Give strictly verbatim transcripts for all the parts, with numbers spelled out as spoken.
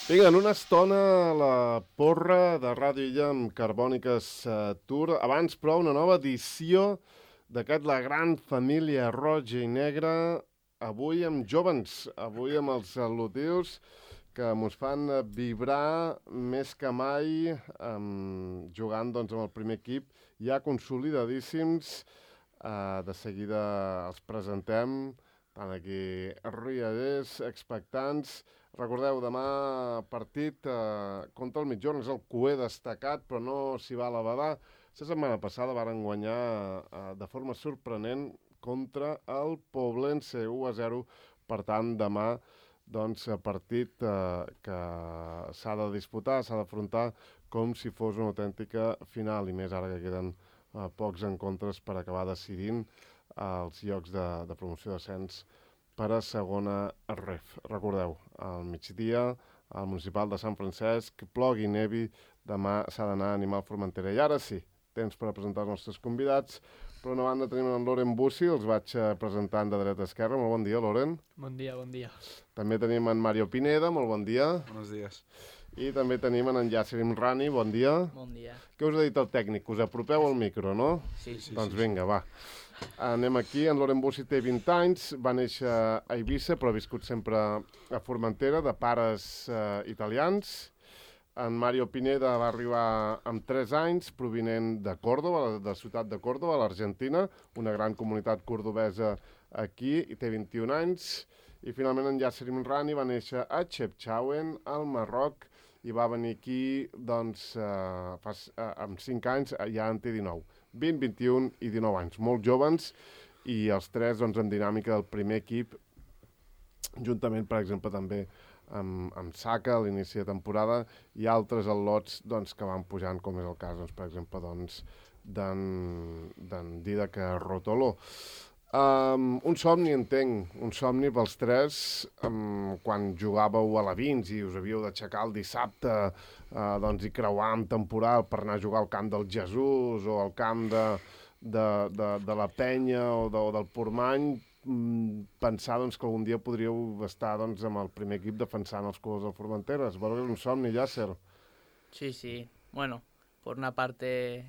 Vinga, en una estona la porra de Ràdio Illa amb Carbòniques uh, Tour. Abans, però, una nova edició d'aquest La Gran Família Roja i Negra, avui amb jovens, avui amb els al·lutius que mos fan vibrar més que mai um, jugant doncs, amb el primer equip, ja consolidadíssims. Uh, de seguida els presentem, tant aquí riallers, expectants. Recordeu, demà partit eh, contra el Mitjorn, és el cuer destacat, però no s'hi va a la badar. La setmana passada varen guanyar eh, de forma sorprenent contra el Poblense, u a zero. Per tant, demà, doncs, partit eh, que s'ha de disputar, s'ha d'afrontar com si fos una autèntica final, i més ara que queden eh, pocs encontres per acabar decidint eh, els llocs de, de promoció d'ascens per a segona ref. Recordeu, al migdia, al municipal de Sant Francesc, plogui i nevi, demà s'ha d'anar a animar el Formentera. I ara sí, temps per a presentar els nostres convidats. Per una banda tenim en Loren Bussi, els vaig presentant de dreta a esquerra. Molt bon dia, Loren. Bon dia, bon dia. També tenim en Mario Pineda, molt bon dia. Buenos días. I també tenim en Yasser Imrani, bon dia. Bon dia. Què us ha dit el tècnic? Us apropeu al micro, no? Sí, sí. Doncs vinga, va. Anem aquí, en Loren Bussi té vint anys, va néixer a Eivissa, però ha viscut sempre a Formentera, de pares eh, italians. En Mario Pineda va arribar amb tres anys, provinent de Còrdova, de la ciutat de Còrdova, a l'Argentina, una gran comunitat cordobesa aquí, i té vint-i-un anys. I finalment en Yasser Imrani va néixer a Chefchaouen, al Marroc, i va venir aquí doncs, eh, fa, eh, amb cinc anys, ja en té dinou. vint, vint-i-un i dinou anys, molt joves, i els tres doncs, en dinàmica del primer equip, juntament, per exemple, també amb, amb Saka a l'inici de temporada, i altres al·lots doncs, que van pujant, com és el cas, doncs, per exemple, doncs, d'en Didac Rotolo. Um, un somni, entenc, un somni pels tres, um, quan jugàveu a la Vins i us havíeu d'aixecar el dissabte uh, doncs, i creuar amb temporal per anar a jugar al camp del Jesús o al camp de, de, de, de la Penya o, de, o del Portmany, um, pensar doncs, que algun dia podríeu estar doncs, amb el primer equip defensant els colors del Formentera. Es veu que és un somni, Yasser. Sí, sí. Bueno, por una parte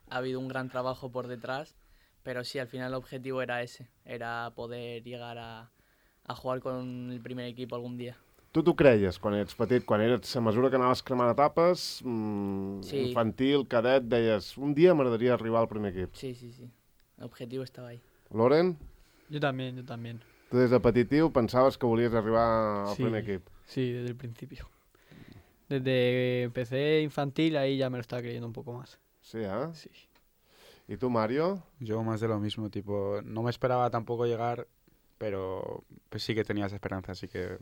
ha habido un gran trabajo por detrás, pero sí, al final el objetivo era ese, era poder llegar a, a jugar con el primer equipo algún día. Tu t'ho creies quan ets petit, quan eres a mesura que anaves cremant etapes, mmm, sí. Infantil, cadet, deies, un dia m'agradaria arribar al primer equip. Sí, sí, sí, el objetivo estaba ahí. Loren? Yo también, yo también. Tu des de petitiu pensaves que volies arribar al sí, primer equip? Sí, desde el principio. Desde que empecé infantil, ahí ya me lo estaba creyendo un poco más. Sí, ¿eh? Sí. ¿Y tú, Mario? Yo más de lo mismo, tipo, no me esperaba tampoco llegar, pero pues sí que tenía esa esperanza, así que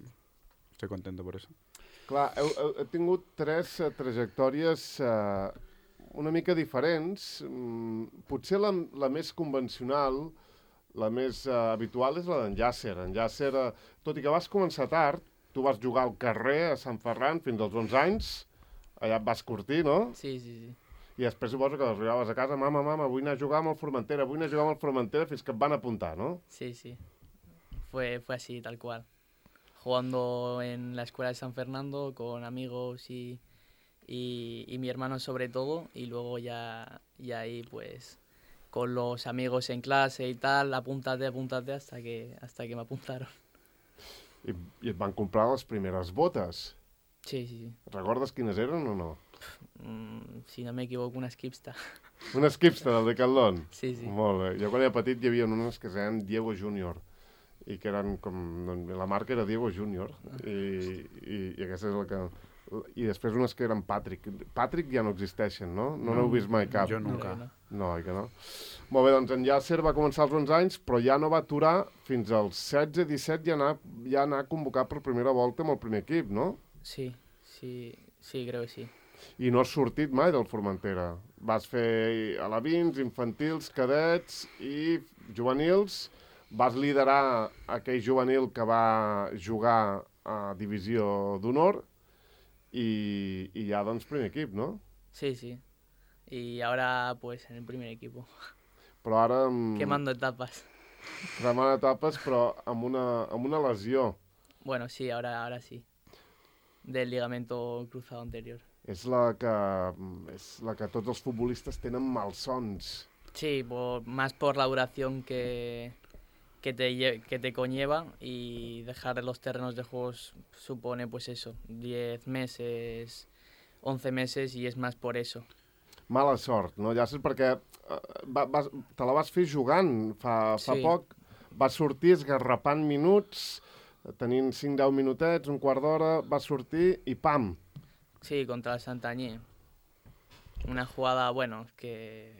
estoy contento por eso. Clar, heu, heu, heu tingut tres uh, trajectòries uh, una mica diferents. Mm, potser la, la més convencional, la més uh, habitual és la d'en Yasser. En Yasser, uh, tot i que vas començar tard, tu vas jugar al carrer a Sant Ferran fins als onze anys, allà et vas curtir, no? Sí, sí, sí. I després suposo que arribaves a casa, mama, mama, vull anar a jugar amb el Formentera, vull anar a jugar amb el Formentera, fins que et van apuntar, ¿no? Sí, sí. Fue, fue así, tal cual. Jugando en la escuela de San Fernando con amigos y, y, y mi hermano sobre todo, y luego ya, ya ahí pues con los amigos en clase y tal, apúntate, apúntate, hasta que, hasta que me apuntaron. I, I et van comprar les primeres botes. Sí, sí, sí. Recordes quines eren o no? Mm, si no me equivoco, una Skipsta. Una Skipsta del Decathlon? Sí, sí. Molt bé. Jo quan era petit hi havia unes que es deien Diego Junior i que eren com... La marca era Diego Junior i, i, i aquesta és la que... I després unes que eren Patrick. Patrick ja no existeixen, no? No n'heu vist mai cap. Jo nunca. No, No, oi que no? Molt bé, doncs en Yasser va començar als onze anys, però ja no va aturar fins als setze disset ja anar, ja anar convocat per primera volta amb el primer equip, no? Sí, sí, sí, creo que sí. I no has sortit mai del Formentera. Vas fer alevins, infantils, cadets i juvenils. Vas liderar aquell juvenil que va jugar a Divisió d'Honor i, i ja, doncs, primer equip, no? Sí, sí. Y ahora, pues, en el primer equipo. Però ara... Amb... Quemando etapas. Cremant etapes, però amb una, amb una lesió. Bueno, sí, ahora, ahora sí. del ligamento cruzado anterior. És la que, és la que tots els futbolistes tenen malsons. Sí, por, más por la duración que, que, te, lle- que te conlleva y dejar los terrenos de juegos supone pues eso, diez meses, once meses y es más por eso. Mala sort, no, Llàcer? Perquè eh, va, vas, te la vas fer jugant fa, fa Sí. poc, vas sortir esgarrapant minuts, tenint cinc deu minutets, un quart d'hora, vas sortir i pam! Sí, contra el Santañé. Una jugada, bueno, que,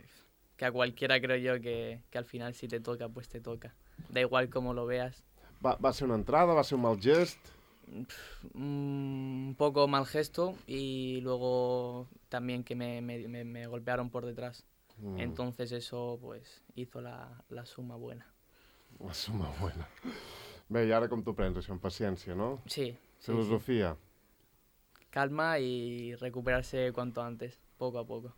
que a cualquiera creo yo que, que al final si te toca, pues te toca. Da igual cómo lo veas. Va, va ser una entrada, va ser un mal gest... Un poco mal gesto y luego también que me, me, me- me golpearon por detrás. Mm, Entonces eso pues hizo la, la suma buena. la suma buena. Bé, i ara com t'ho prens, això, amb paciència, no? Sí, sí, sí. Filosofia. Calma y recuperarse cuanto antes, poco a poco.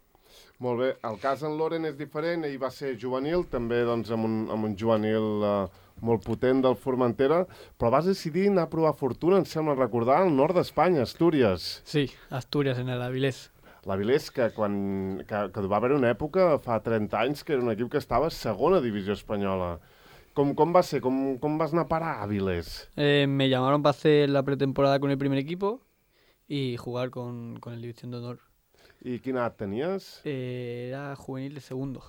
Molt bé, el cas en Loren és diferent, ell va ser juvenil, també doncs, amb, un, amb un juvenil eh, molt potent del Formentera, però vas decidir anar a provar fortuna, em sembla recordar, al nord d'Espanya, Astúries. Sí, Asturias en el Avilés. L'Avilés, que, quan, que, que va haver una època, fa trenta anys, que era un equip que estava a segona divisió espanyola. Com, com va ser? Com, com vas anar a parar a Avilés? Eh, me llamaron para hacer la pretemporada con el primer equipo y jugar con, con el División de Honor. I quina edat tenies? Eh, era juvenil de segundo.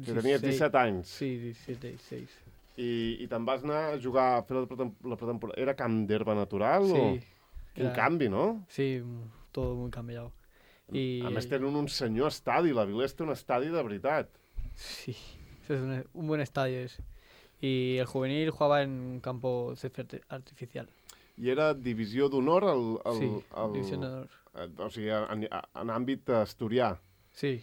Que tenies disset anys. Sí, diecisiete, dieciséis. I, i te'n vas anar a jugar, a fer la, pretem la pretemporada. Era camp d'herba natural? Sí. O... Quin era- canvi, no? Sí, mm, todo muy cambiado. Y, A més, tenen un senyor estadi. L'Avilés té un estadi de veritat. Sí, eso es un, un buen estadio ese. Y el juvenil jugaba en un campo césped arti- artificial. I era divisió d'honor al... al, Sí, al División de Honor. eh, o sigui, en, en àmbit asturià. Sí.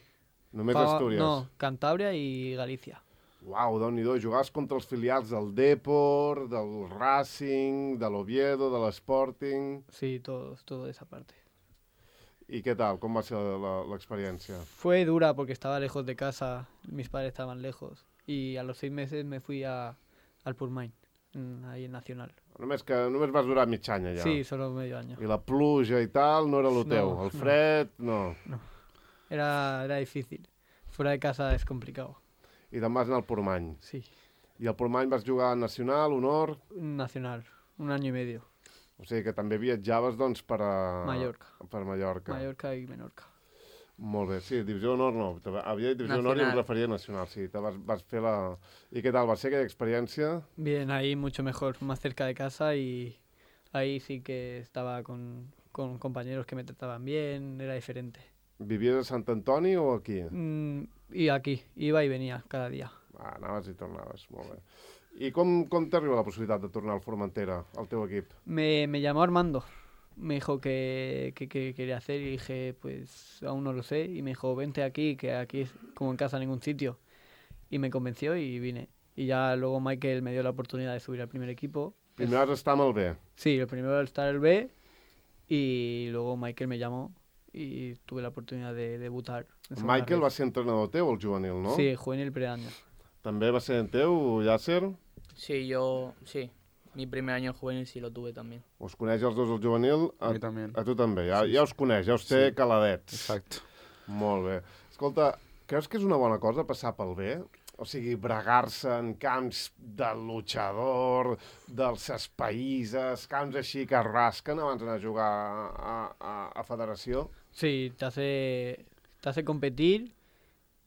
Només Jugaba- Astúries. No, Cantabria y Galicia. Uau, déu-n'hi-do. Jugaves contra els filials del Depor, del Racing, de l'Oviedo, de l'Sporting... Sí, todo, todo esa parte. I què tal? Com va ser la- l'experiència? Fue dura porque estaba lejos de casa, mis padres estaban lejos. Y a los seis meses me fui a, al Purmain, mm, ahí en Nacional. Només que només vas durar mig any allà. Sí, solo medio año. I la pluja i tal no era el No, teu. El no. fred, no. Era, era difícil. Fuera de casa es complicado. I te'n vas anar al Portmany. Sí, I al Portmany vas jugar a Nacional, Honor... Nacional, un año y medio. O sigui que també viatjaves, doncs, per a... Mallorca. Per Mallorca. Mallorca y Menorca. Molt bé. Sí, Divisió d'Honor no. Te va- Havia dit Divisió d'Honor i em Nacional. referia a Nacional. Sí, te vas, vas fer la... I què tal? Va ser aquella experiència? Bien, ahí mucho mejor, más cerca de casa y ahí sí que estaba con, con compañeros que me trataban bien, era diferente. Vivies a Sant Antoni o aquí? Mm, y aquí, iba y venía cada día. Ah, anaves i tornaves. Molt bé. I com, com t'arriba la possibilitat de tornar al Formentera, al teu equip? Me, me llamó Armando, me dijo que, que, que quería hacer y dije, pues aún no lo sé. Y me dijo, vente aquí, que aquí es como en casa en ningún sitio. Y me convenció y vine. Y ya luego Michael me dio la oportunidad de subir al primer equipo. Primer vas estar amb el B. Sí, el primero era estar el B y luego Michael me llamó y tuve la oportunidad de debutar. en segunda Michael red. va ser entrenador teu, el juvenil, no? Sí, juvenil preaño. També va ser en teu, Llàcer? Sí, yo, sí. Mi primer año juvenil sí lo tuve también. Us coneix els dos el juvenil? A mi també. A tu també, ja, Sí, ja sí. us coneix, ja us té Sí. caladets. Exacte. Molt bé. Escolta, creus que és una bona cosa passar pel B? O sigui, bregar-se en camps de luchador, dels espaïses, camps així que es rasquen abans d'anar a jugar a, a, a federació? Sí, te hace, te hace competir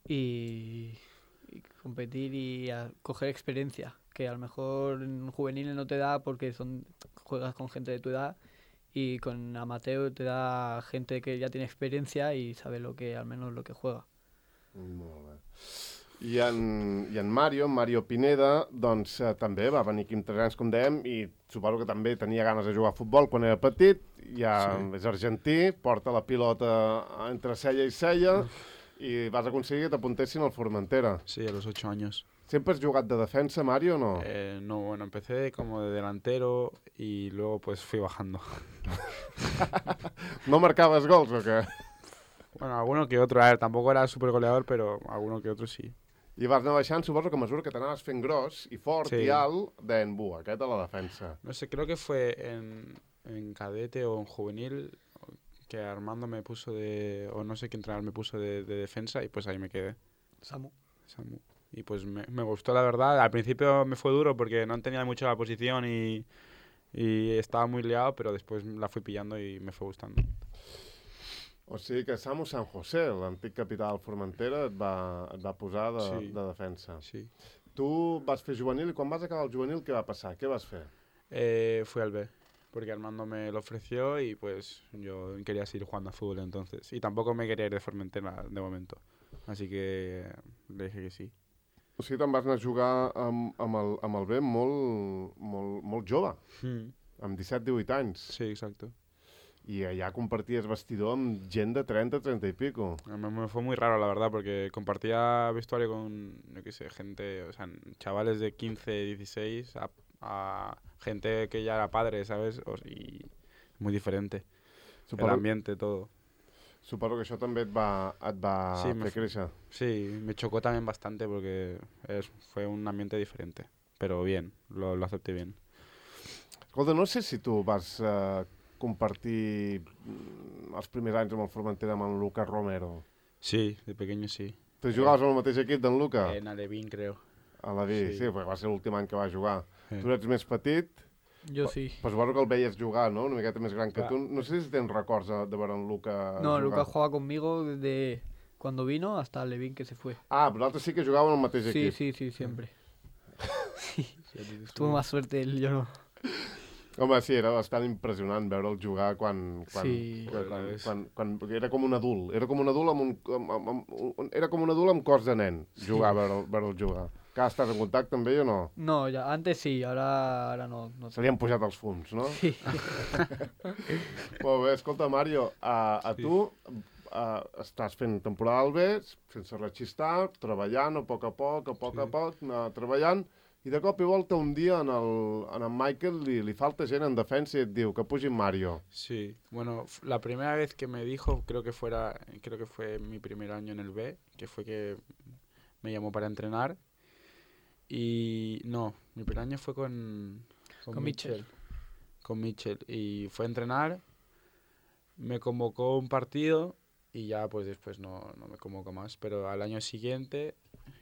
y, y competir y a coger experiencia, que a lo mejor en juveniles no te da porque son juegas con gente de tu edad y con amateur te da gente que ya tiene experiencia y sabe lo que al menos lo que juega. Molt bé. I en, I en Mario, en Mario Pineda, doncs eh, també va venir aquí amb tres anys, com dèiem, i suposo que també tenia ganes de jugar a futbol quan era petit, ja Sí. és argentí, porta la pilota entre cella i cella, i vas aconseguir que t'apuntessin al Formentera. Sí, a los ocho años. Sempre has jugat de defensa, Mario, o no? Eh, no, bueno, empecé como de delantero y luego pues fui bajando. No marcaves gols o què? Bueno, alguno que otro, a ver, tampoco era súper goleador, pero alguno que otro sí. I vas anar baixant, suposo que a mesura que t'anaves fent gros i fort Sí. i alt, deien, bu, aquest a la defensa. No sé, creo que fue en, en cadete o en juvenil, que Armando me puso de, o no sé qué entrenador me puso de, de defensa y pues ahí me quedé. Samu. Samu. Y pues me, me gustó la verdad. Al principio me fue duro porque no tenía mucho la posición y, y estaba muy liado, pero después la fui pillando y me fue gustando. O sigui que Samu San José, l'antic capità del Formentera, et va, et va posar de, Sí. de defensa. Sí. Tu vas fer juvenil i quan vas acabar el juvenil què va passar? Què vas fer? Eh, fui al B, porque Armando me lo ofreció y pues yo quería seguir jugando a fútbol entonces. Y tampoco me quería ir de Formentera de momento. Así que le dije que sí. O sigui, te'n vas anar a jugar amb, amb, el, amb el B molt, molt, molt jove, Mm. amb disset divuit anys. Sí, exacto. I allà comparties vestidor amb gent de trenta, trenta y pico. Me, me fue muy raro, la verdad, porque compartía vestuario con, yo qué sé, gente, o sea, chavales de quince, dieciséis, a, a gente que ya era padre, ¿sabes? O, y muy diferente. Suposo, El ambiente, todo. suposo que això també et va, et va Sí, me fer fu- créixer. Sí, me chocó también bastante porque es, fue un ambiente diferente. Pero bien, lo, lo acepté bien. Escolta, no sé si tu vas eh, compartir mm, els primers anys amb el Formentera amb en Lucas Romero. Sí, de pequeño sí. Tu jugaves amb el mateix equip d'en Luca? En Alevín, creo. A la vi, sí, sí. sí, perquè va ser l'últim any que va jugar. Sí. Tu eres més petit, Yo sí. però suposo que el veies jugar, no? Una miqueta més gran que Clar. tu. No sé si tens records de, de veure en Luca No, jugar. Lucas jugaba conmigo desde cuando vino hasta Levin que se fue. Ah, vosaltres sí que jugàveu en el mateix Sí, equip. sí, sí, siempre. Sí, Sí, tuvo más suerte él, yo no. Home, sí, era bastant impressionant veure'l jugar quan... quan, Sí. quan, quan, És- quan, quan, perquè era com un adult. Era com un adult amb un... Amb, amb, amb, un- era com un adult amb cos de nen, jugar, veure'l, veure'l jugar. Que estàs en contacte amb ell o no? No, ya antes sí, ahora, ahora no. no Se li han pujat els fums, no? Sí. Molt bé, escolta, Mario, a, a tu a, estàs fent temporada al B, sense rechistar, treballant a poc a poc, a poc Sí. a poc, anar treballant, i de cop i volta un dia en el, en el Michael li, li falta gent en defensa i et diu que pugi en Mario. Sí, bueno, f- la primera vez que me dijo, creo que fuera, creo que fue mi primer año en el B, que fue que me llamó para entrenar. Y no, mi primer año fue con, Con Mitchell. Con Mitchell. Y fue a entrenar, me convocó un partido y ya pues después no, no me convocó más. Pero al año siguiente,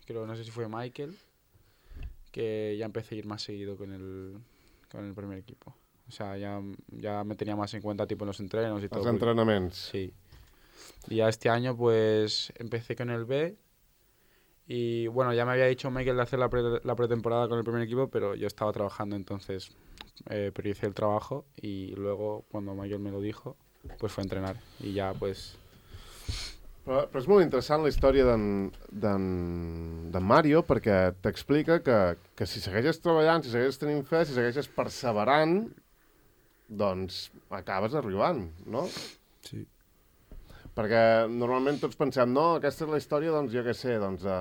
creo, no sé si fue Michael, que ya empecé a ir más seguido con el, con el primer equipo. O sea, ya, ya me tenía más en cuenta tipo en los entrenos y todo. Els porque- entrenaments. Sí. Y ya este año pues empecé con el B y bueno, ya me había dicho Michael de hacer la, pre- la pretemporada con el primer equipo, pero yo estaba trabajando, entonces eh, prioricé el trabajo y luego cuando Michael me lo dijo, pues fue a entrenar y ya pues... Però, però és molt interessant la història d'en d'en d'en Mario perquè t'explica que, que si segueixes treballant, si segueixes tenint fe, si segueixes perseverant, doncs acabes arribant, no? Sí. Perquè normalment tots pensem, no, aquesta és la història, doncs, jo què sé, doncs, de,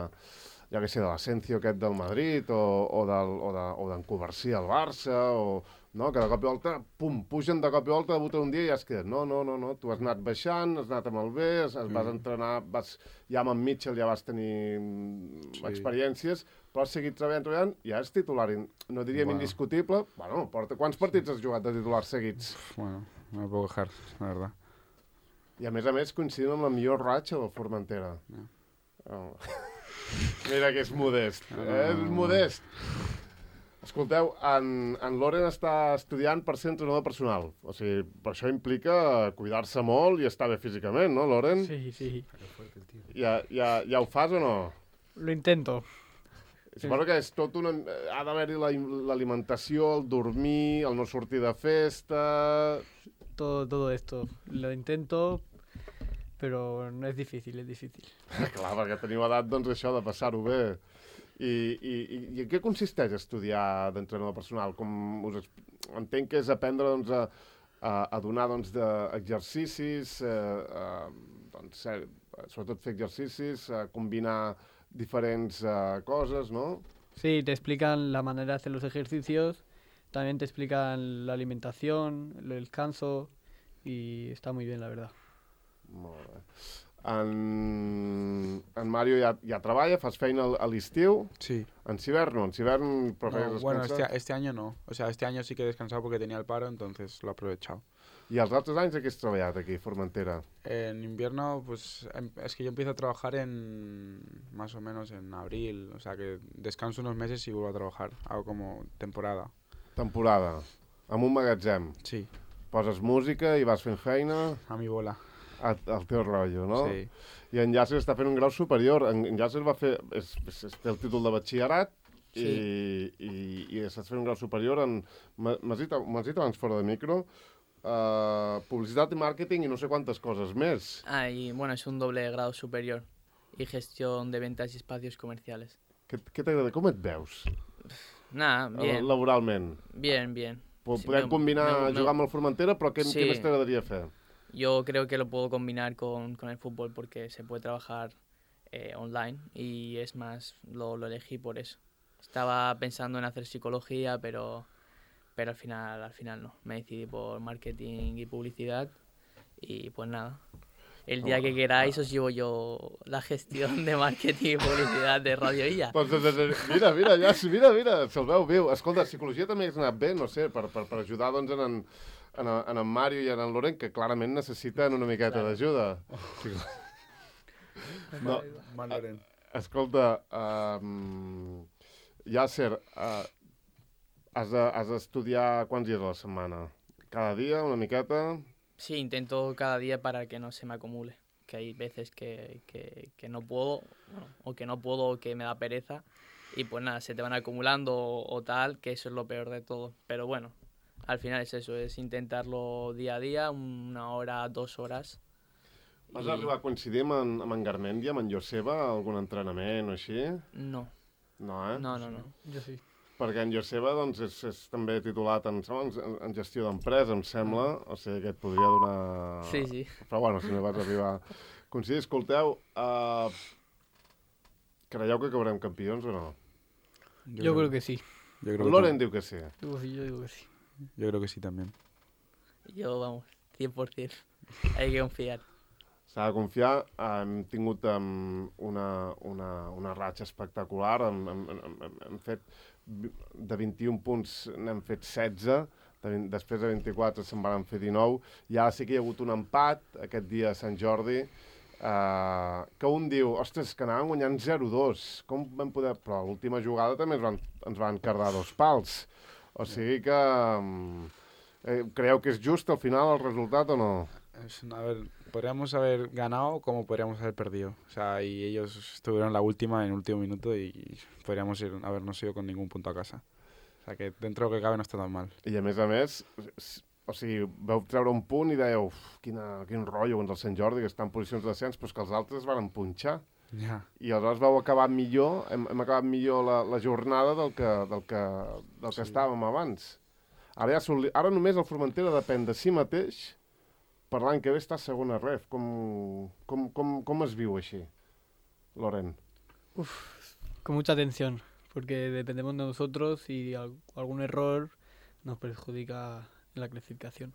jo què sé, de l'Ascencio aquest del Madrid, o, o del, o de, o d'en Covarsí al Barça, o, no, que de cop i volta, pum, pugen de cop i volta, debuten un dia i ja es queden. No, no, no, no, tu has anat baixant, has anat amb el B, es, es vas Mm. entrenar, vas, ja amb en Mitchell ja vas tenir mm, Sí. experiències, però has seguit treballant, treballant, i ja és titular, in- no diríem Bueno. indiscutible, bueno, porta, quants partits has jugat de titular seguits? Bueno, no me puedo quejar, la verdad. I a més a més coincidim amb la millor ratxa del Formentera. No. Oh. Mira que és modest, No, no, eh? és no, no. modest. Escolteu, en, en Loren està estudiant per ser entrenador personal. O sigui, per això implica cuidar-se molt i estar bé físicament, no, Loren? Sí, sí. Ja, ja, ja ho fas o no? Lo intento. Suposo que és tot una... Ha d'haver-hi la- l'alimentació, el dormir, el no sortir de festa... Todo, todo esto. Lo intento, pero no es difícil, es difícil. Clar, perquè teniu edat, doncs, això de passar-ho bé. I, i, i, I en què consisteix estudiar d'entrenador personal? Com us exp- entenc que és aprendre doncs, a, a, a donar doncs, de exercicis, eh, a, doncs, eh, sobretot fer exercicis, a combinar diferents eh, coses, no? Sí, te explican la manera de hacer los ejercicios, también te explican la alimentación, el descanso y está muy bien, la verdad. Molt bé. En, en Mario ja, ja treballa, fas feina a l'estiu. Sí. En Cibern no, en Cibern No, prefieres bueno, descansar. este, este año no. O sea, este año sí que he descansado porque tenía el paro, entonces lo he aprovechado. I els altres anys a què has treballat aquí, a Formentera? En invierno, pues em- es que yo empiezo a trabajar en más o menos en abril. O sea, que descanso unos meses y vuelvo a trabajar. Hago como temporada. Temporada, amb un magatzem. Sí, Poses música i vas fent feina a mi bola. a- al teu rotllo, no? Sí. I en Yasser està fent un grau superior. En, en Yasser va fer... És, és, és, té el títol de batxillerat i, i, i estàs fent un grau superior en... m'ha- M'has dit, m'has dit abans fora de micro, uh, publicitat i màrqueting i no sé quantes coses més. Ah, y bueno, es un doble grado superior y gestión de ventas y espacios comerciales. Què, què t'agrada? Com et veus Nada, eh, bien, laboralment? bien, bien. Po- Sí, Podem me- combinar me- me- jugar amb el Formentera, però què, Sí. què més t'agradaria fer? Yo creo que lo puedo combinar con, con el fútbol porque se puede trabajar eh, online y es más, lo, lo elegí por eso. Estaba pensando en hacer psicología, pero, pero al final, al final no. Me decidí por marketing y publicidad y pues nada. El día que queráis os llevo yo la gestión de marketing y publicidad de Radio Illa. Doncs, de, de, de, mira, mira, ja, mira, mira, se'l veu viu. Escolta, psicologia també hagués anat bé, no sé, per, per, per ajudar doncs, en, en, en, en en Mario i en en Loren, que clarament necessiten una miqueta d'ajuda. No, Mal Loren. escolta, um, Yasser, uh, has, de, has d'estudiar quants dies a la setmana? Cada dia, una miqueta? Sí, intento cada día para que no se me acumule. Que hay veces que, que, que no puedo, bueno, o que no puedo, o que me da pereza. Y pues nada, se te van acumulando o, o tal, que eso es lo peor de todo. Pero bueno, al final es eso, es intentarlo día a día, una hora, dos horas. Vas I- arribar a coincidir amb en, amb en Garmendia, amb en Joseba, algun entrenament o així? No, No, eh? no, no, no. Yo sí. Perquè en Joseba doncs, és, és també titulat en, en, en gestió d'empresa, em sembla, o sigui que et podria donar... Sí, sí. Però bueno, si no vas arribar a coincidir, escolteu, uh, creieu que acabarem campions o no? Yo creo que sí. Yo creo El que Loren tam- diu que sí. Digo sí, yo digo que sí. Yo creo que sí también. Yo, vamos, cien por ciento. Hay que confiar. S'ha de confiar. Hem tingut um, una, una, una ratxa espectacular. Hem, hem, hem, hem- hem fet vi- de vint-i-un punts, n'hem fet setze. De, vint- després de vint-i-quatre se'n van fer dinou. I ara sí que hi ha hagut un empat aquest dia a Sant Jordi. Uh, que un diu, ostres, que anàvem guanyant zero dos. Com vam poder... Però a l'última jugada també ens van, ens van cardar dos pals. O sigui que... Um, eh, creieu que és just al final el resultat o no? Es, a ver, podríamos haber ganado como podríamos haber perdido. O sea, y ellos estuvieron la última en el último minuto y podríamos ir, habernos ido con ningún punto a casa. O sea, que dentro de lo que cabe no está tan mal. I a més a més, s- o sigui, vau treure un punt i dèieu, uf, quina, quin rotllo, doncs el Sant Jordi, que està en posicions de descens, però és que els altres van punxar. Ya. I aleshores vau acabar millor, hem, hem acabat millor la, la jornada del que, del que, del que Sí. estàvem abans. Ara, ja soli- ara només el Formentera depèn de si mateix per l'any que ve està a segona ref. Com, com, com, com es viu així, Loren? Con mucha atención, porque dependemos de nosotros y al- algún error nos perjudica en la clasificación.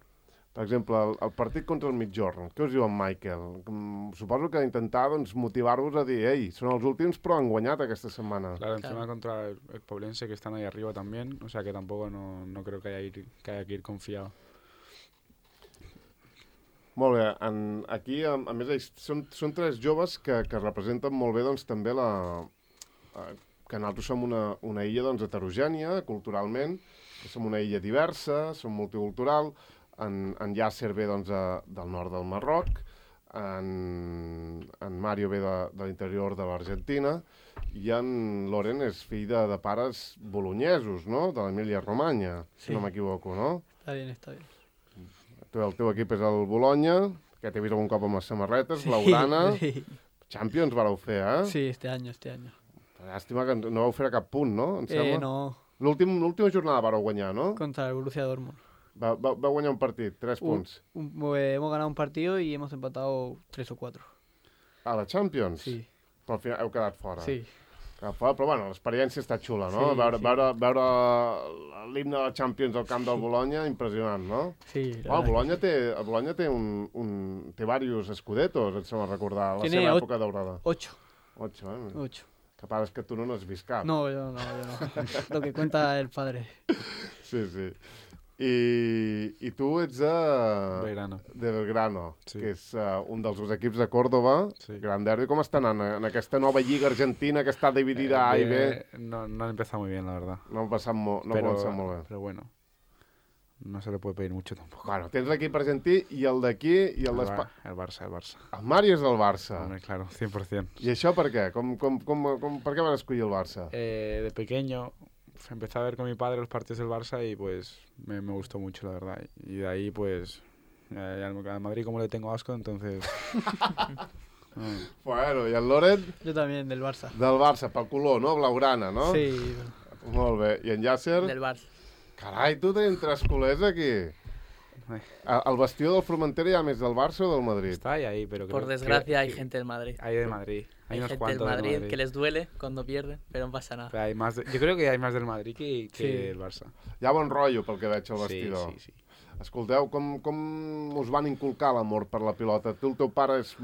Per exemple, el, el partit contra el Migjorn, què us diu en Michael? Mm, Suposo que intentar doncs, motivar-vos a dir ei, són els últims però han guanyat aquesta setmana. Claro, encima Claro. contra el, el Poblense que están ahí arriba también. O sea, que tampoco no, no creo que haya, ir, que haya que ir confiado. Molt bé, en, aquí a, a més ells són, són tres joves que, que representen molt bé doncs, també la, eh, que nosaltres som una, una illa doncs, heterogènia culturalment, que som una illa diversa, som multicultural, en, en Yasser ve doncs, a, del nord del Marroc, en, en Mario ve de, de l'interior de l'Argentina i en Loren és fill de, de pares bolonyesos, no? De l'Emília-Romanya, si Sí. no m'equivoco, no? Está bien, está bien. Tu, el teu equip és el Bologna, que t'he vist algun cop amb les samarretes, blaugrana. Sí, Champions vareu fer, eh? sí, este año, este año. Llàstima que no vau fer cap punt, no? Em Eh, sembla. no, L'últim- L'última jornada vareu guanyar, no? contra el Borussia Dortmund. Va, va, va guanyar un partit, tres Un- punts. Un- eh, hemos ganado un partido y hemos empatado tres o cuatro. A la Champions? Sí, Però al final heu quedat fora. sí. Cap fora, però bueno, l'experiència està xula, no? Sí, veure, sí. veure, veure l'himne de la Champions al camp del Bologna, impressionant, no? Sí, Oh, la el verdad Bologna que té, el Bologna té, un, un, té diversos escudetos, et sembla recordar, la Tiene seva ot- època daurada. sí. Ocho, Ocho, eh? ocho. Capaz que tu no n'has vist cap. No, yo no, yo no. Lo que cuenta el padre. Sí, sí. I, i tu ets de... Belgrano. de Belgrano, Sí. que és uh, un dels dos equips de Córdoba. Sí. Gran derbi. Com està anant en aquesta nova lliga argentina que està dividida A i B? Eh, no, no han empezado muy bien, la verdad. No ha passat, mo no pero, ha passat molt bé. pero bueno, no se le puede pedir mucho tampoco. Bueno, tens l'equip argentí i el d'aquí i el El, d'Espa... Bar- el Barça, el Barça. El Mario és del Barça. Hombre, claro, cien por cien. I això per què? Com, com, com, com, per què van escollir el Barça? Eh, de pequeño empecé a ver con mi padre los partidos del Barça y pues me, me gustó mucho, la verdad. Y de ahí pues eh, al al Madrid como le tengo asco, entonces... no. Bueno, i el Loren? Yo también, del Barça. Del Barça, pel color, no? Blaugrana, no? Sí, Molt bé. I en Yasser? Del Barça. Carai, tu tenim tres culers aquí. Ai. A- Al vestidor del Formentera hi ha més del Barça o del Madrid? Está ahí, ahí, pero Por creo- desgracia creo hay que- gente del Madrid. Hay de Madrid. Hay, Hay unos gente del cuantos del Madrid, Madrid. que les duele cuando pierden, pero no pasa nada. Pero hay más de- yo creo que hay más del Madrid que, que Sí. del Barça. Hi ha bon rotllo pel que veig al Sí, vestidor. sí, sí. Escolteu, com, com us van inculcar l'amor per la pilota? Tu, el teu pare és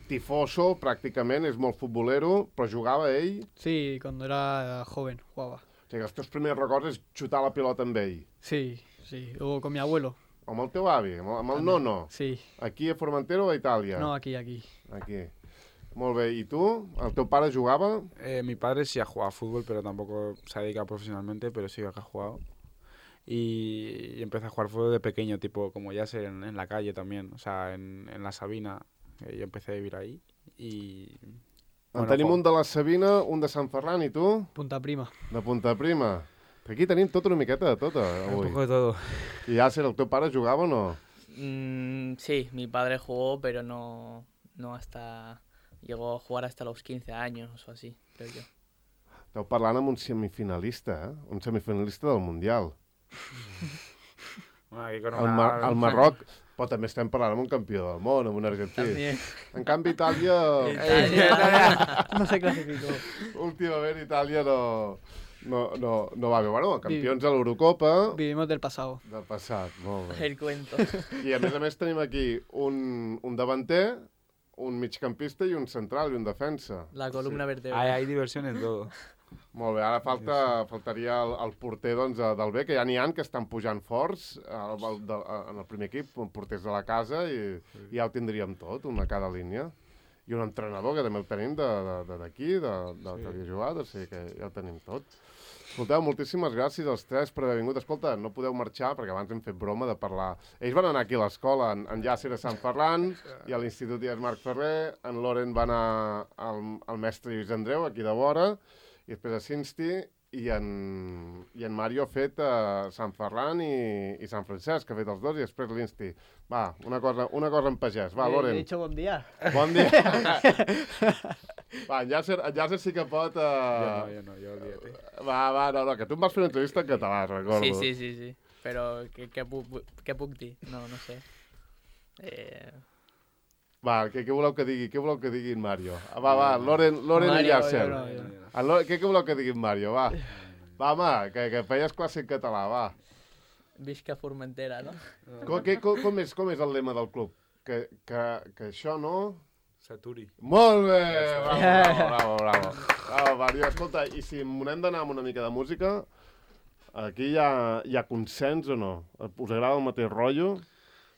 tifoso, pràcticament, és molt futbolero, però jugava ell? sí, cuando era joven jugaba. O sigui, els teus primers records és xutar la pilota amb ell. Sí, sí. O con mi abuelo. Amb el teu avi, amb el, amb el nono. Sí. Aquí a Formentera o a Itàlia? No, aquí, aquí. Aquí. Molt bé, i tu? El teu pare jugava? Eh, mi padre sí ha jugado a fútbol, pero tampoco se ha dedicado profesionalmente, pero sí que ha jugado. Y, y empecé a jugar fútbol de pequeño, tipo como ya sé, en, en la calle también, o sea, en, en la Sabina. Eh, yo empecé a vivir ahí y... En bueno, tenim jo- un de la Sabina, un de Sant Ferran, i tu? Punta Prima. De Punta Prima. Aquí tenim tot una miqueta de tot, Un avui. poco de todo. I Yasser, el teu pare jugava o no? Mm, sí, mi padre jugó, pero no, no hasta... Llegó a jugar hasta los quince años o así, creo yo. Esteu parlant amb un semifinalista, eh? Un semifinalista del Mundial. Bueno, aquí con El, una- Mar el Marroc, però també estem parlant amb un campió del món, amb un argentí. También. En canvi, Itàlia... Italia. No se clasificó. Últimament, Itàlia no, no, no, no va bé. Bueno, campions a l'Eurocopa Vivimos del pasado. del passat. Molt bé. El cuento. I a més a més tenim aquí un, un davanter, un migcampista i un central i un defensa. La columna Hay, vertebral. hay diversión en todo. Molt bé, ara falta, faltaria el, el porter doncs, de- del B, que ja n'hi ha que estan pujant forts el, el, de, en el primer equip, porters de la casa, i, i ja ho tindríem tot, una a cada línia. I un entrenador, que també el tenim de- de- d'aquí, de, de, de, Sí. que havia jugat, o sigui que ja ho tenim tot. Escolteu, moltíssimes gràcies als tres per haver vingut. Escolta, no podeu marxar, perquè abans hem fet broma de parlar. Ells van anar aquí a l'escola, en, en Yasser a Sant Ferran, i a l'Institut Ies Marc Ferrer, en Loren va anar al, al mestre Lluís Andreu, aquí de vora, i després a Cinsti, i en, i en Mario ha fet a Sant Ferran i, i Sant Francesc, que ha fet els dos, i després l'Insti. Va, una cosa, una cosa en pagès. Va, Eh, Loren. He dicho buen día. Bon dia. Va, en Yasser, en Yasser sí que pot... Yo no, Uh... yo no, yo olvídate. Va, va, no, no, que tu em vas fer una entrevista en català, recordo. Sí, sí, sí, sí. Pero, ¿qué, qué, pu- qué puc dir? No, no sé. Eh, Va, què, què voleu que digui? Què voleu que digui en Mario? Ah, va, va, Loren, Loren i Mario, Yasser. no, no, no. En Loren, què, què voleu que digui en Mario? Va, va, home, que, que feies classe en català, va. Visca Formentera, no? Com, que, com, com, és, com és el lema del club? Que, que, que això no... Saturi. Molt bé! Bravo, bravo, bravo, bravo. Bravo, Mario. Escolta, i si m'hem d'anar amb una mica de música, aquí hi ha, hi ha consens o no? Us agrada el mateix rotllo?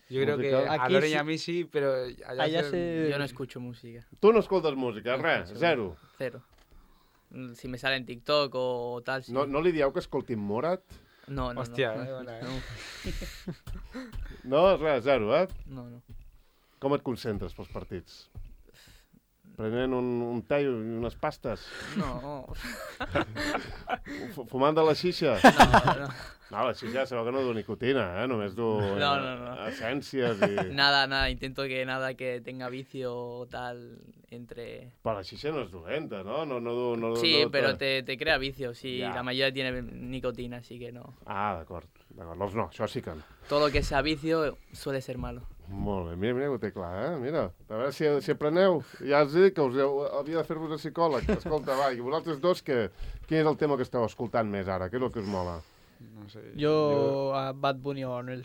Yo creo que Musical. a Aquí Loren y sí- a mí sí, pero allá, Allá se- se... Yo no escucho música. Tu no escoltes música, No res, escucho. zero. Cero. Mm, Si me sale en TikTok o tal, sí. No, no li dieu que escoltin Morat? no, no. Hostia, no. eh, bona, eh. No, res, zero, eh? No, no. Com et concentres pels partits? Prenent un, un te i unes pastes? No, Fu- Fumant de la xixa? no, no. No, la xixa sabeu que no du nicotina, eh? Només du eh, No, no, no. essències i... Nada, nada. Intento que nada que tenga vicio o tal entre... Però la xixa no és dolenta, no? No, no, du- no, Sí, no, pero te, te crea vicio. Sí, Ya. la mayoría tiene nicotina, así que no. Ah, d'acord, d'acord. Doncs no, això sí que no. Todo lo que sea vicio suele ser malo. Molt bé, mira, mira que ho té clar, eh? Mira, a veure si, si apreneu. Ja us he dit que us heu, havia de fer-vos a psicòleg. Escolta, va, i vosaltres dos, que, quin és el tema que esteu escoltant més ara? Què és el que us mola? No sé. Yo a Bad Bunny o a Anuel.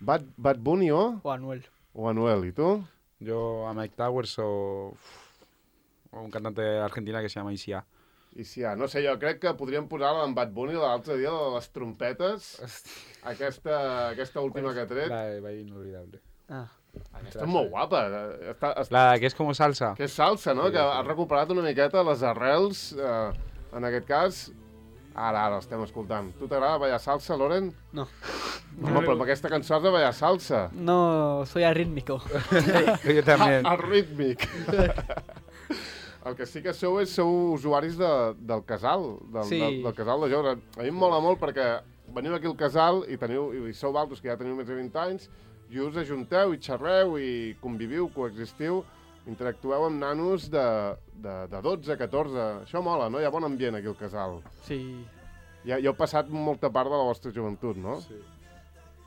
Bad, Bad Bunny o, O a Anuel. o Anuel? I tu? Yo a Mike Towers o, o un cantante argentina que se llama Isia. I si ja, no sé, jo crec que podríem posar-la en Bad Bunny l'altre dia, de les trompetes, aquesta, aquesta última que ha tret. La de Baile Inolvidable. Ah. Està molt guapa. Està, està, La que es como salsa. que és salsa, no? Sí, Que sí. ha recuperat una miqueta les arrels, eh, en aquest cas. Ara, ara l'estem escoltant. Tu t'agrada ballar salsa, Loren? No. Home, però amb aquesta cançó has de ballar salsa. No, soy arrítmico. Yo también. El rítmic. El que sí que sou és sou usuaris de, del casal, del, Sí. del, del casal de joves. A mi em mola molt perquè veniu aquí al casal i, teniu, i sou altres que ja teniu més de vint anys i us ajunteu i xerreu i conviviu, coexistiu, interactueu amb nanos de, de, de dotze, catorze. Això mola, no? Hi ha bon ambient aquí al casal. Sí. Ja, ja heu passat molta part de la vostra joventut, no? Sí.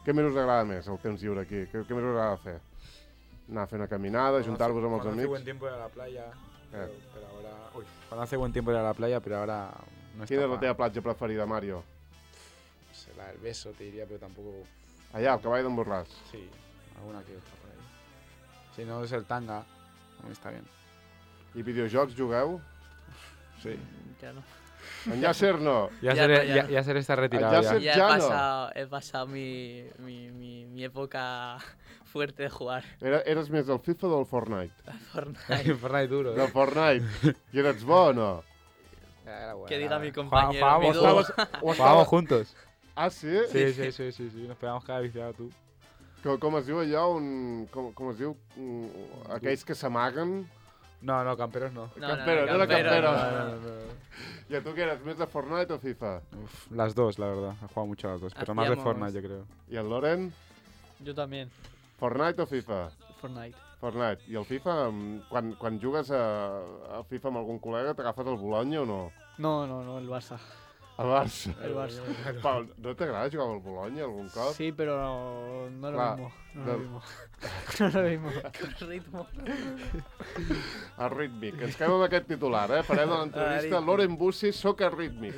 Què més us agrada més, el temps lliure aquí? Què, què més us agrada fer? Anar a fer una caminada, juntar-vos amb els Cuando hace buen amics? tiempo ir a la playa. Pero, Eh. pero ahora. Uy, cuando hace buen tiempo ir a la playa, pero ahora no está. Quina és la pa- teva platja preferida, Mario? no sé, la del beso, te diría, pero tampoco. Allà, al cavall d'en Borràs. Sí, alguna que otra por ahí. Si no es el tanga, también está bien. I videojocs jugueu? Sí. Ya no. En Yasser no. Ya, Ya ser, no, ya ya, no. ya ser está retirado. Ya Ya ser- Ya he Ya no. pasado, he pasado mi, mi, mi, mi época fuerte de jugar Era, eres més del FIFA o del Fortnite? a Fortnite. Fortnite duro. Del ¿eh? Fortnite. I eres bo o no? Era bueno, Que era diga mi bueno. compañero, Jugábamos, mi O dúo. estaves, o jugábamos estaves... juntos. Ah, sí? Sí, sí, sí, sí, sí. Nos pegamos cada viciado tú. Com, com es diu allò? Un, com, com es diu? Un, aquells que s'amaguen? No, no, camperos no. No, no, Campero, no era campero, campero. no, no, no. I a tu què eres? Més de Fortnite o FIFA? Uf, las dos, la verdad. He jugado mucho a las dos, pero más de Hacíamos- Fortnite, yo creo. I el Loren? Yo también. Fortnite o FIFA? Fortnite. Fortnite. I el FIFA, mm, quan, quan jugues a, a FIFA amb algun col·lega, t'agafes el Bologna o no? No, no, no, el Barça. El Barça. El Barça. Pau, no t'agrada jugar amb el Bologna algun cop? Sí, pero no, no es lo Clar, mismo. No es del- lo mismo. No es lo mismo. Con ritmo. El rítmic. Ens quedem amb aquest titular, eh? Farem de l'entrevista Rítmic. Loren Bussi, soc el rítmic.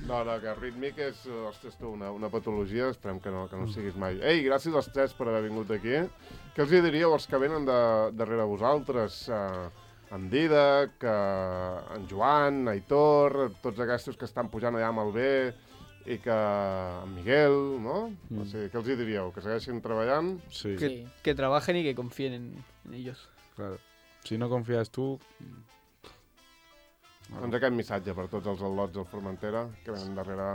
No, no, que el rítmic és, ostres, tu, una, una patologia, esperem que no, que no siguis mai. Ei, gràcies als tres per haver vingut aquí. Què els hi diríeu als que venen de, darrere vosaltres? Uh, en Didac, uh, en Joan, Aitor, tots aquests que estan pujant allà amb el B, i que en Miguel, no? Mm. O sigui, què els hi diríeu? Que segueixin treballant? Sí, Que, Sí. que trabajen y que confíen en, en ellos. claro. Si no confías tú... Doncs aquest missatge per tots els al·lots del Formentera que venen darrere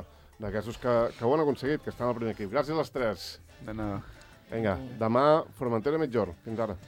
d'aquestos que, que ho han aconseguit, que estan al primer equip. Gràcies a les tres. De nada. Vinga, demà Formentera mitjor. Fins ara.